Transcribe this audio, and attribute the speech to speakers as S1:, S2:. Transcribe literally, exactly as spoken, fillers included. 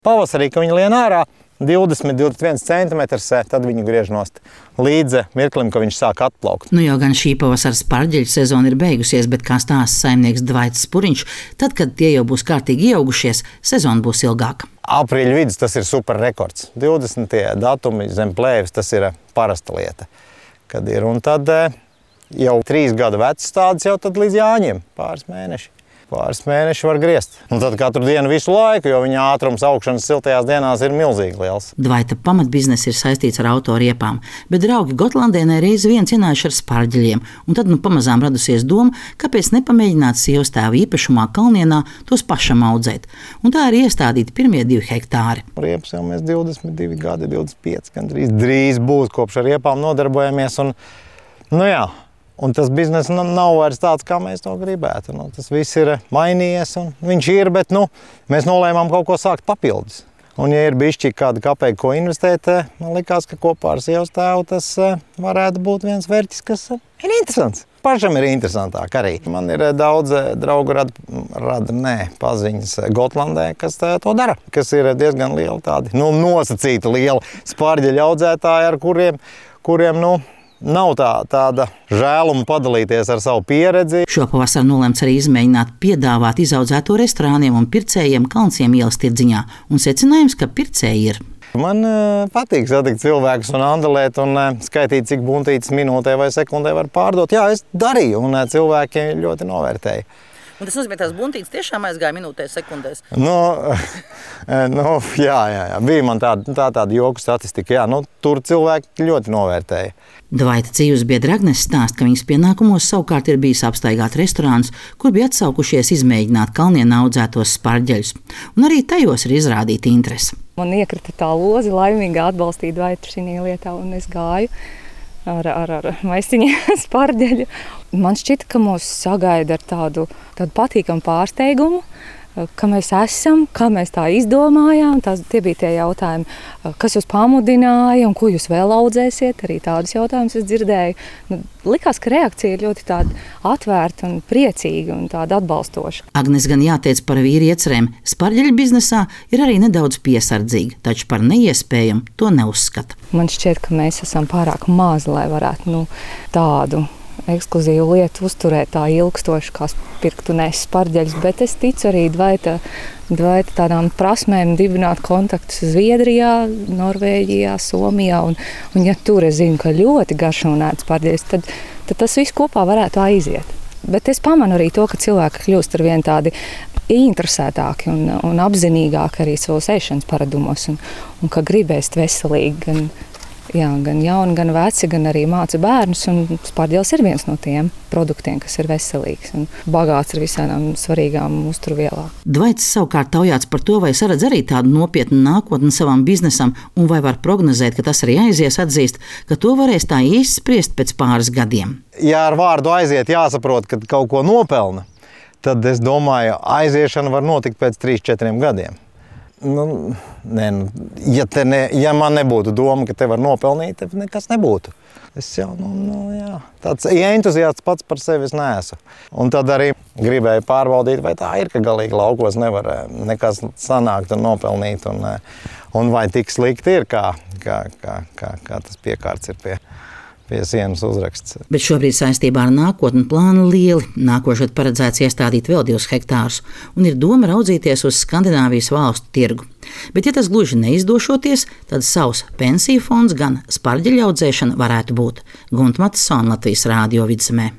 S1: Pavasarī, kad viņi lien ārā, divdesmit līdz divdesmit viens centimetrs, tad viņi griež nost līdz mirklim, kad viņš sāk atplaukt.
S2: Nu jau gan šī pavasara sparģeļu sezona ir beigusies, bet kā stāsta saimnieks Dvaits Spuriņš, tad, kad tie jau būs kārtīgi ieaugušies, sezona būs ilgāka.
S1: Aprīļa vidus tas ir super rekords. divdesmitie datumi zem plēves, tas ir parasta lieta, kad ir. Un tad jau trīs gadu vecs tādas jau tad līdz Jāņiem, pāris mēneši. Pāris mēneši var griezt. Un tad katru dienu visu laiku, jo viņa ātrums augšanas siltajās dienās ir milzīgi liels.
S2: Dvaita pamatbizness ir saistīts ar autoriepām, bet draugi Gotlandēnē reiz vien cienājuši ar sparģeļiem, un tad nu pamazām radusies doma, kāpēc nepamēģināt sievas tēva īpašumā Kalnienā tos pašam audzēt. Un tā ir iestādīti pirmie divi hektāri.
S1: Riepas jau mēs divdesmit divi gadi, divdesmit pieci gandrīz drīz būs, kopš ar riepām nodarbojamies. Un, nu jā, un tas bizness nav vairs tāds, kā mēs to gribētu. Nu, tas viss ir mainījies, un viņš ir, bet nu, mēs nolēmām kaut ko sākt papildus. Un, ja ir bišķi kāda kapeiga, ko investēt, man likās, ka kopā ar sievas tēvu tas varētu būt viens vērķis, kas ir interesants. Pašam ir interesantāk arī. Man ir daudz draugu rada, rada nē, paziņas Gotlandē, kas to dara, kas ir diezgan liela tādi, nu, nosacīta liela sparģeļu audzētāji, ar kuriem, kuriem, nu, nav tā, tāda žēluma padalīties ar savu pieredzi.
S2: Šopavasar nolēmts arī izmēģināt piedāvāt izaudzēto restorāniem un pircējiem Kalnciem ielas tirdziņā. Un secinājums, ka pircēji ir.
S1: Man uh, patīk satikt cilvēkus un andalēt un uh, skaitīt, cik buntītes minūtē vai sekundē var pārdot. Jā, es darīju, un uh, cilvēki ļoti novērtēja.
S3: Un tas nozīmē, ka tās buntītes tiešām aizgāja minūtēs, sekundēs.
S1: Nu, nu, jā, jā, jā. Bija man tāda, tā, tāda joku statistika. Jā, nu, tur cilvēki ļoti novērtēja.
S2: Dvaita dzīves biedra Agnes stāsta, ka viņas pienākumos savukārt ir bijis apstaigāt restorānus, kur bija atsaukušies izmēģināt Kalnienā audzētos sparģeļus. Un arī tajos ir izrādīta interese.
S4: Man iekrita tā lozi laimīgi atbalstīt Dvaitu šī lietā, un es gāju ar, ar, ar maisiņu sparģeļu. Man šķita, ka mūs sagaida ar tādu, tādu patīkamu pārsteigumu, ka mēs esam, kā mēs tā izdomājām. Tās, tie bija tie jautājumi, kas jūs pamudināja un ko jūs vēl audzēsiet. Arī tādus jautājumus es dzirdēju. Nu, likās, ka reakcija ir ļoti tāda atvērta un priecīga un tāda atbalstoša.
S2: Agnes gan jāteic par vīri iecerēm. Sparģeļu biznesā ir arī nedaudz piesardzīga, taču par neiespējamu to neuzskata.
S4: Man šķiet, ka mēs esam pārāk mazi, lai varētu nu, tādu ekskluzīvu lietu uzturēt tā ilgstoši, kā pirkt un ēst sparģeļus, bet es ticu arī Dvaita, Dvaita tādām prasmēm dibināt kontaktus Zviedrijā, Norvēģijā, Somijā, un, un ja tur es zinu, ka ļoti garšo un ēd sparģeļus, tad, tad tas viss kopā varētu aiziet. Bet es pamanu arī to, ka cilvēki kļūst ar vien tādi interesētāki un, un apzinīgāki arī savos ēšanas paradumos, un, un ka gribēs veselīgi gan Jā, gan jauni, gan veci, gan arī māca bērnus, un sparģelis ir viens no tiem produktiem, kas ir veselīgs un bagāts ar visādām svarīgām uzturvielām.
S2: Dvaits savukārt taujāts par to, vai saredz arī tādu nopietnu nākotni savam biznesam, un vai var prognozēt, ka tas arī aizies, atzīst, ka to varēs tā īsti spriest pēc pāris gadiem.
S1: Ja ar vārdu aiziet jāsaprot, ka kaut ko nopelna, tad es domāju, aiziešana var notikt pēc trīs četriem gadiem. Nu, ne, ja, te ne, ja man nebūtu doma, ka te var nopelnīt, tad nekas nebūtu. Es jau, nu, nu jā, tāds entuziasts pats par sevi es neesmu. Un tad arī gribēju pārbaudīt, vai tā ir, ka galīgi laukos nevar nekas sanākt un nopelnīt, un, un vai tik slikti ir, kā, kā, kā, kā, kā tas piekārts ir pie. pie sienas uzraksts.
S2: Bet šobrīd saistībā ar nākotni plāni lieli. Nākošais paredzēts iestādīt vēl divus hektārus, un ir doma raudzīties uz Skandināvijas valstu tirgu. Bet, ja tas gluži neizdošoties, tad savs pensiju fonds gan sparģeļu audzēšana varētu būt. Gunta Matisone, Latvijas Rādio Vidzemē.